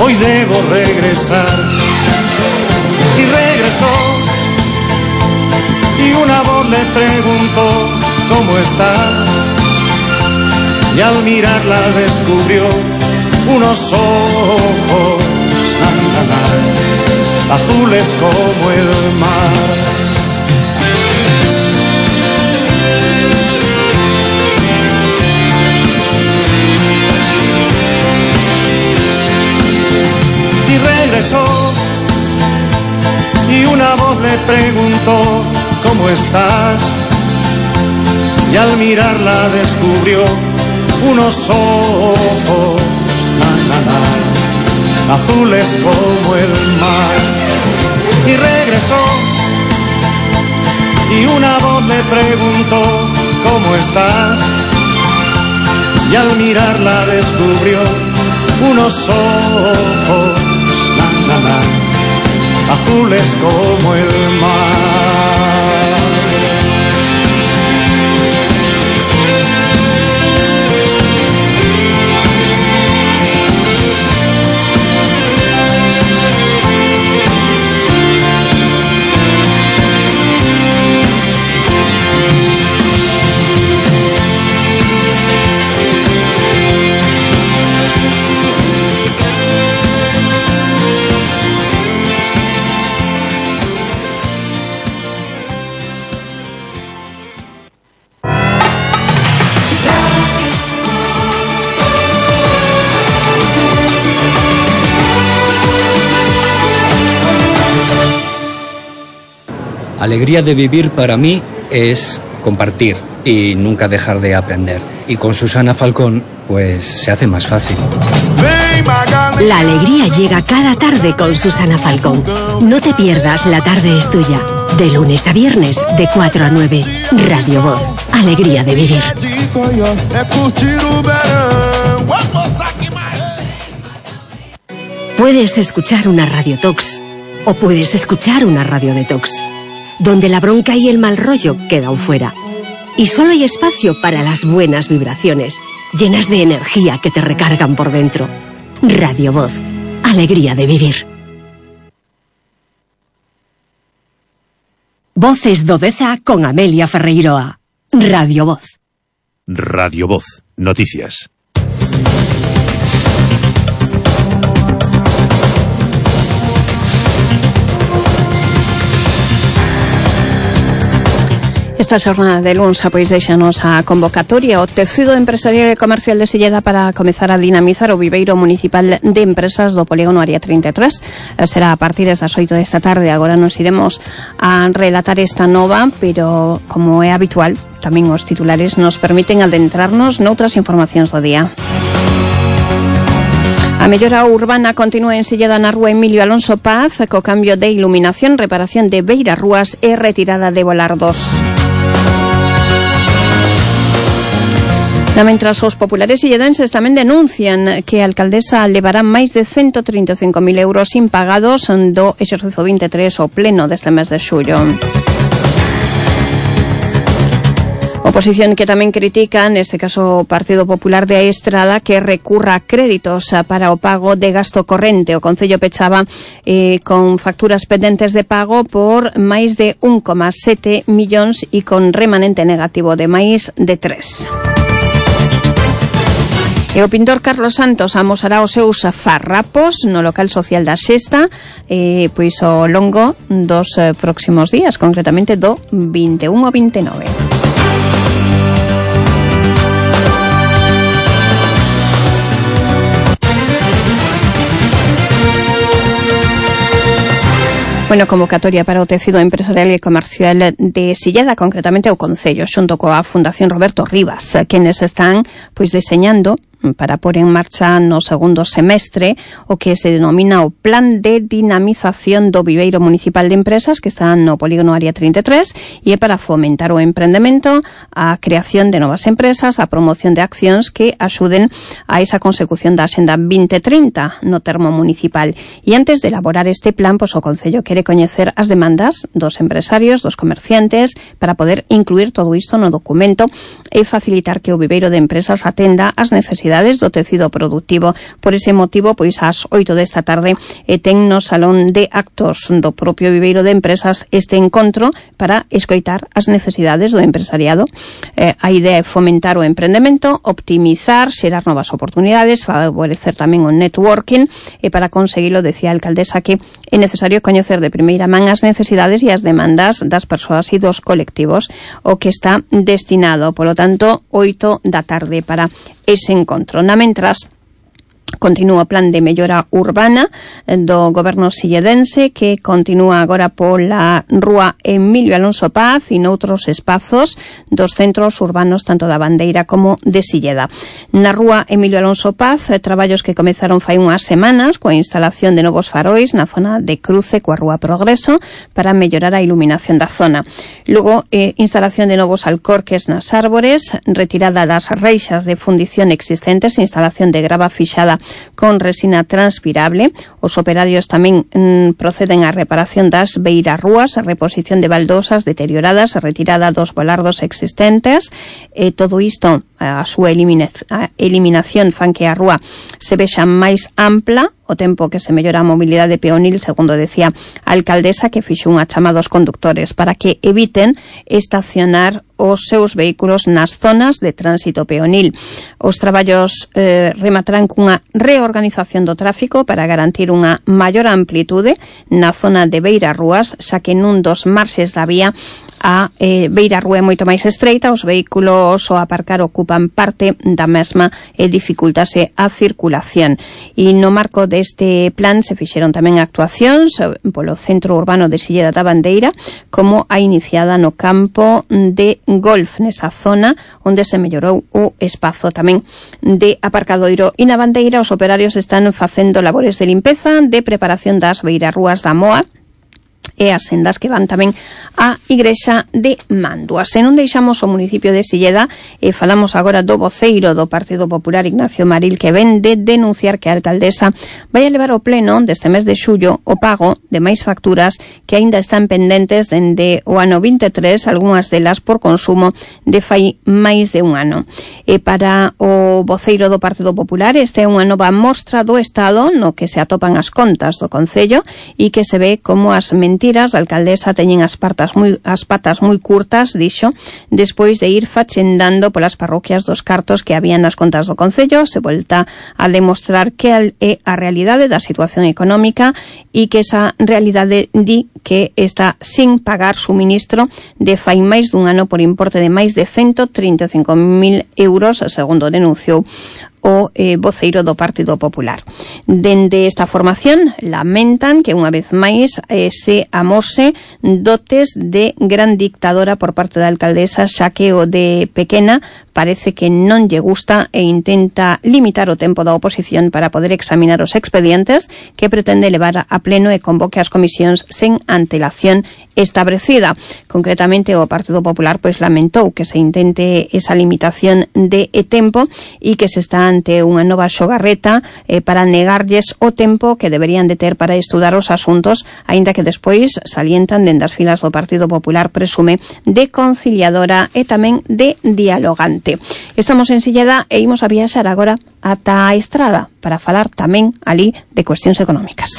hoy debo regresar. Y regresó y una voz le preguntó ¿cómo estás? Y al mirarla descubrió unos ojos na, na, na, azules como el mar. Y regresó y una voz le preguntó ¿cómo estás? Y al mirarla descubrió unos ojos na, na, na, azules como el mar. Y regresó y una voz le preguntó ¿cómo estás? Y al mirarla descubrió unos ojos na, na, na, azules como el mar. Alegría de vivir para mí es compartir y nunca dejar de aprender. Y con Susana Falcón, pues se hace más fácil. La alegría llega cada tarde con Susana Falcón. No te pierdas La tarde es tuya. De lunes a viernes, de cuatro a nueve. Radio Voz. Alegría de vivir. Puedes escuchar una Radio Tox o puedes escuchar una Radio Detox, donde la bronca y el mal rollo quedan fuera. Y solo hay espacio para las buenas vibraciones, llenas de energía que te recargan por dentro. Radio Voz. Alegría de vivir. Voces do Deza con Amelia Ferreiroa. Radio Voz. Radio Voz. Noticias. Esta xornada de luns pois deixanos a convocatoria o tecido empresarial e comercial de Silleda para comezar a dinamizar o viveiro municipal de empresas do polígono Área treinta e tres. Será a partir das oito desta tarde. Agora nos iremos a relatar esta nova, pero como é habitual, tamén os titulares nos permiten adentrarnos noutras informacións do día. A mellora urbana continúa en Silleda na rúa Emilio Alonso Paz co cambio de iluminación, reparación de beirarrúas e retirada de volardos. Mentras os populares silledenses tamén denuncian que a alcaldesa levará máis de ciento trinta e cinco mil euros impagados do exercicio vinte e tres ao pleno deste mes de xullo. Oposición que tamén critica, neste caso o Partido Popular de Estrada, que recurra a créditos para o pago de gasto corrente. O Concello pechaba eh, con facturas pendentes de pago por máis de un coma sete millóns e con remanente negativo de máis de tres. E o pintor Carlos Santos amosará os seus farrapos no local social da Xesta eh, pois ao longo dos eh, próximos días, concretamente do vinte e un ao vinte e nove. Bueno, convocatoria para o tecido empresarial e comercial de Silleda, concretamente o Concello, xunto coa Fundación Roberto Rivas, quenes están pois deseñando para pôr en marcha no segundo semestre o que se denomina o Plan de Dinamización do Viveiro Municipal de Empresas, que está no polígono Área treinta e tres, e é para fomentar o emprendemento, a creación de novas empresas, a promoción de accións que axuden a esa consecución da Axenda vinte trinta no termo municipal. E antes de elaborar este plan, pois o Concello quere coñecer as demandas dos empresarios, dos comerciantes, para poder incluir todo isto no documento e facilitar que o viveiro de empresas atenda as necesidades do tecido productivo. Por ese motivo, pois ás oito desta tarde e ten no Salón de Actos do propio viveiro de empresas este encontro para escoitar as necesidades do empresariado. Eh, a idea é fomentar o emprendemento, optimizar, xerar novas oportunidades, favorecer tamén o networking, e para conseguilo, decía a alcaldesa, que é necesario coñecer de primeira man as necesidades e as demandas das persoas e dos colectivos, o que está destinado, polo tanto, oito da tarde para ese encontro. Na mentras, continúa o plan de mellora urbana do goberno silledense, que continúa agora pola rúa Emilio Alonso Paz e noutros espazos dos centros urbanos tanto da Bandeira como de Silleda. Na rúa Emilio Alonso Paz, traballos que comezaron fai unhas semanas coa instalación de novos farois na zona de cruce coa rúa Progreso para mellorar a iluminación da zona. Logo, eh, instalación de novos alcorques nas árbores, retirada das reixas de fundición existentes, instalación de grava fixada con resina transpirable. Os operarios tamén mm, proceden á reparación das beirarrúas, a reposición de baldosas deterioradas, a retirada dos volardos existentes. E todo isto, a súa elimina- a eliminación fan que a rúa se vexa máis ampla, o tempo que se mellora a mobilidade peonil, segundo decía a alcaldesa, que fixo unha chamada aos conductores para que eviten estacionar os seus vehículos nas zonas de tránsito peonil. Os traballos eh, rematarán cunha reorganización do tráfico para garantir unha maior amplitude na zona de beirarrúas, xa que nun dos marxes da vía a eh, beirarrúa é moito máis estreita, os vehículos ao aparcar ocupan parte da mesma e dificultase a circulación. E no marco deste plan se fixeron tamén actuacións polo centro urbano de Silleda da Bandeira, como a iniciada no campo de golf, nesa zona onde se mellorou o espazo tamén de aparcadoiro. E na Bandeira os operarios están facendo labores de limpeza, de preparación das beirarrúas da Moa e as sendas que van tamén á Igrexa de Mandua. Se non deixamos o municipio de Silleda, e falamos agora do voceiro do Partido Popular, Ignacio Maril, que ven de denunciar que a alcaldesa vai a levar ao pleno deste mes de xullo o pago de máis facturas que aínda están pendentes dende o ano vinte e tres, algunhas delas por consumo de fai máis de un ano. E para o voceiro do Partido Popular, esta é unha nova mostra do Estado no que se atopan as contas do Concello e que se ve como as mentiras mentiras, a alcaldesa teñen as patas moi as patas moi curtas, dixo, despois de ir fachendando polas parroquias dos cartos que había nas contas do concello. Se volta a demostrar que é a realidade da situación económica e que esa realidade di que está sin pagar suministro de fai máis dun ano por importe de máis de ciento trinta e cinco mil euros, segundo denunciou o eh, voceiro do Partido Popular. Dende esta formación lamentan que unha vez máis eh, se amose dotes de gran dictadora por parte da alcaldesa, xa que o de pequena parece que non lle gusta e intenta limitar o tempo da oposición para poder examinar os expedientes que pretende levar a pleno e convoque as comisións sen antelación establecida. Concretamente, o Partido Popular pois lamentou que se intente esa limitación de tempo e que se está ante unha nova xogarreta eh, para negarlles o tempo que deberían de ter para estudar os asuntos, aínda que despois salientan dende as filas do Partido Popular presume de conciliadora e tamén de dialogante. Estamos en Silleda e imos a viaxar agora ata a Estrada para falar tamén ali de cuestións económicas.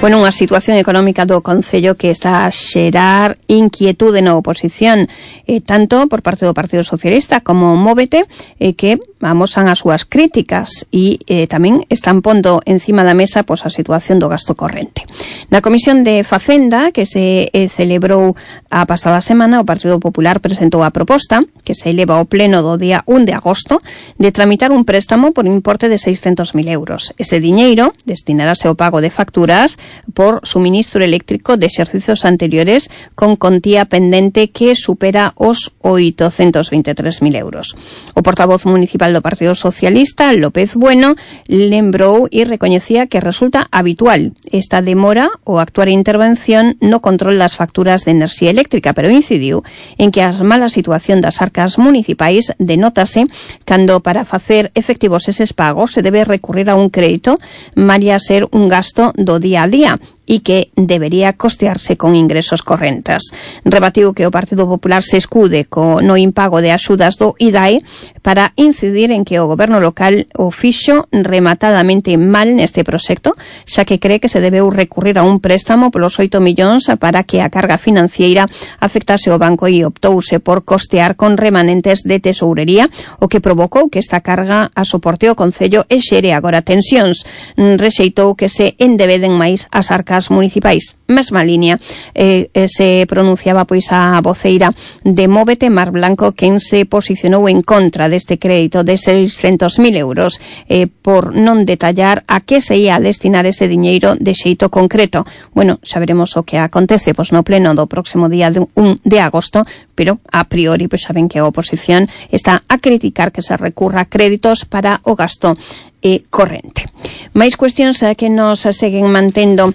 Bueno, unha situación económica do Concello que está a xerar inquietude na oposición, eh, tanto por parte do Partido Socialista como Móvete, eh, que amosan as súas críticas e eh, tamén están pondo encima da mesa pois, a situación do gasto corrente. Na Comisión de Facenda, que se eh, celebrou a pasada semana, o Partido Popular presentou a proposta, que se eleva ao pleno do día un de agosto, de tramitar un préstamo por importe de seiscentos mil euros. Ese diñeiro destinarase ao pago de facturas por suministro eléctrico de exercicios anteriores con contía pendente que supera os oitocentos veintitrés mil euros. O portavoz municipal do Partido Socialista, López Bueno, lembrou e recoñecía que resulta habitual esta demora ou actuar intervención no control das facturas de enerxía eléctrica, pero incidiu en que a mala situación das arcas municipais denótase cando para facer efectivos eses pagos se debe recurrir a un crédito, malia ser un gasto do día a día e que debería costearse con ingresos correntes. Rebatiu que o Partido Popular se escude co no impago de axudas do I D A E para incidir en que o goberno local o fixo rematadamente mal neste proxecto, xa que cree que se debeu recurrir a un préstamo polos oito millóns para que a carga financiera afectase ao banco e optouse por costear con remanentes de tesourería, o que provocou que esta carga a soporte o Concello e xere agora tensións. Rexeitou que se endebeden máis as arcas municipais. Mesma línea eh, eh, se pronunciaba pois a voceira de Móvete, Mar Blanco, quen se posicionou en contra deste crédito de seiscentos mil euros eh, por non detallar a que se ia a destinar ese diñeiro de xeito concreto. Bueno, xa veremos o que acontece pois no pleno do próximo día de un de agosto, pero a priori pois saben que a oposición está a criticar que se recurra a créditos para o gasto e corrente. Máis cuestións que nos seguen mantendo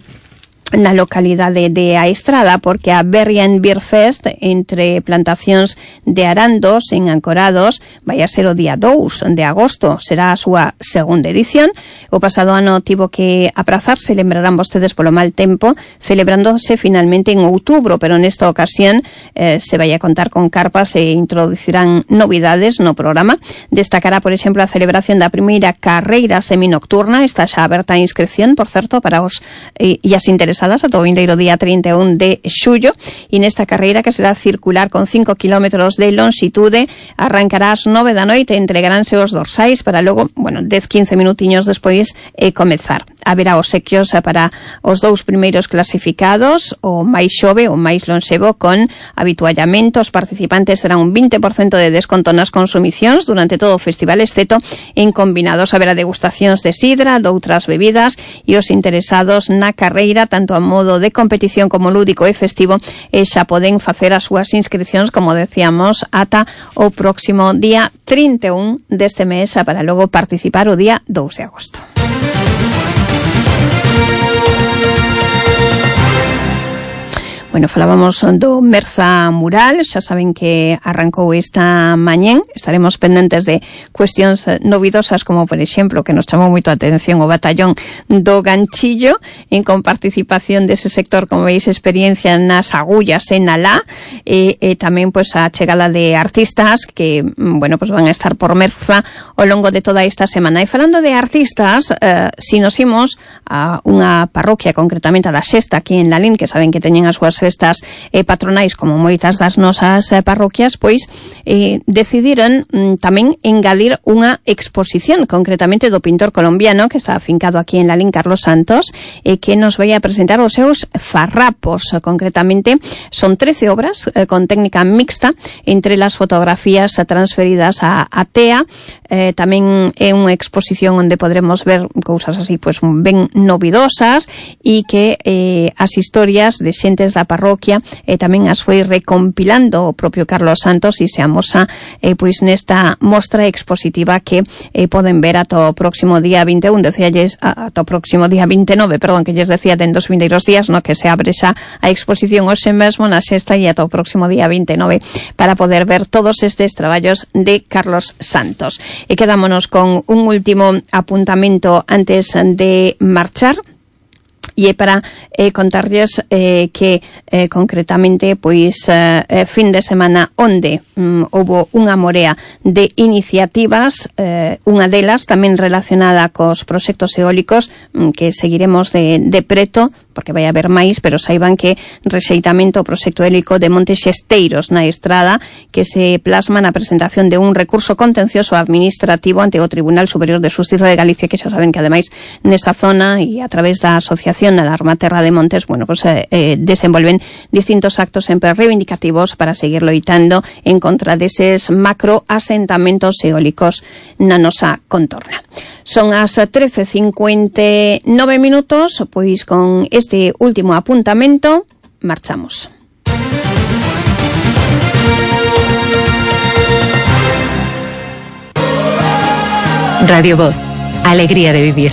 na localidade de A Estrada, porque a Berrien Beer Fest entre plantacións de arandos en Ancorados vai a ser o día dous de agosto, será a súa segunda edición. O pasado ano tivo que aprazarse, lembrarán vostedes polo mal tempo, celebrándose finalmente en outubro, pero nesta ocasión eh, se vai a contar con carpas e introducirán novidades no programa. Destacará, por exemplo, a celebración da primeira carreira seminocturna, está xa aberta a inscripción, por certo, para os eh, e as interesadas ata o vindeiro día trinta e un de xullo, e nesta carreira, que será circular con cinco kilómetros de longitude, arrancará ás nove da noite, entregaránse os dorsais para logo, bueno, dez a quince minutiños despois eh, comezar. Haberá obsequios para os dous primeiros clasificados, o máis xove, o máis lonxevo, con habituallamento. Os participantes serán un vinte por cento de desconto nas consumicións durante todo o festival, exceto en combinados. Haberá degustacións de sidra, de outras bebidas, e os interesados na carreira, tanto a modo de competición como lúdico e festivo, e xa poden facer as súas inscripcións, como decíamos, ata o próximo día trinta e un deste mes, para logo participar o día dous de agosto. Bueno, falábamos do Merza Mural, xa saben que arrancou esta mañén, estaremos pendentes de cuestións novidosas como, por exemplo, que nos chamou moito a atención o batallón do Ganchillo, en con participación dese sector, como veis, experiencia nas agullas en Alá, e, e tamén pois a chegada de artistas que, bueno, pois van a estar por Merza ao longo de toda esta semana. E falando de artistas, eh, si nos imos a unha parroquia, concretamente a da Xesta, aquí en Lalín, que saben que teñen as súas festas eh, patronais como moitas das nosas eh, parroquias, pois eh, decidiron mm, tamén engadir unha exposición, concretamente do pintor colombiano que está afincado aquí en Lalín, Carlos Santos, eh, que nos vai a presentar os seus farrapos. Concretamente son trece obras eh, con técnica mixta, entre las fotografías transferidas a, a T E A. Eh, tamén é unha exposición onde podremos ver cousas así pois ben novidosas e que eh, as historias de xentes da parroquia eh, tamén as foi recompilando o propio Carlos Santos e se amosa eh, pois nesta mostra expositiva que eh, poden ver ata o próximo día vinte e un, decíalles ata o próximo día vinte e nove, perdón, que lles decía den dos vindeiros días, no, que se abre xa a exposición hoxe mesmo na Xesta e ata o próximo día vinte e nove para poder ver todos estes traballos de Carlos Santos. E quedámonos con un último apuntamento antes de marchar. E é para eh, contarlles eh, que eh, concretamente pois eh, fin de semana onde mm, houbo unha morea de iniciativas, eh, unha delas tamén relacionada cos proxectos eólicos mm, que seguiremos de, de preto, porque vai haber máis, pero saiban que rexeitamento ao proxecto eólico de Monte Xesteiros na Estrada, que se plasma na presentación de un recurso contencioso administrativo ante o Tribunal Superior de Xustiza de Galicia, que xa saben que ademais nesa zona e a través da asociación Alarma Terra de Montes, bueno, pues eh, eh, desenvolven distintos actos sempre reivindicativos para seguir loitando en contra deses macroasentamentos eólicos na nosa contorna. Son as trece cincuenta e nove minutos, pois con este último apuntamento marchamos. Radio Voz, alegría de vivir.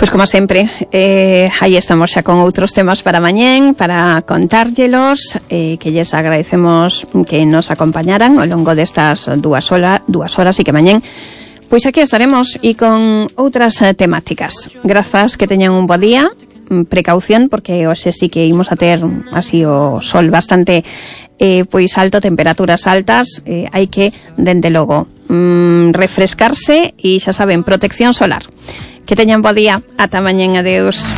Pois como sempre, eh, aí estamos xa con outros temas para mañén, para contárllelos, eh, que lles agradecemos que nos acompañaran ao longo destas dúas, hola, dúas horas e que mañén pois aquí estaremos e con outras eh, temáticas. Grazas, que teñan un bo día, precaución, porque hoxe sí que imos a ter así o sol bastante eh, pois alto, temperaturas altas, eh, hai que, dende logo, mm, refrescarse e xa saben, protección solar. Que teñan bo día. Ata mañén. Adeus.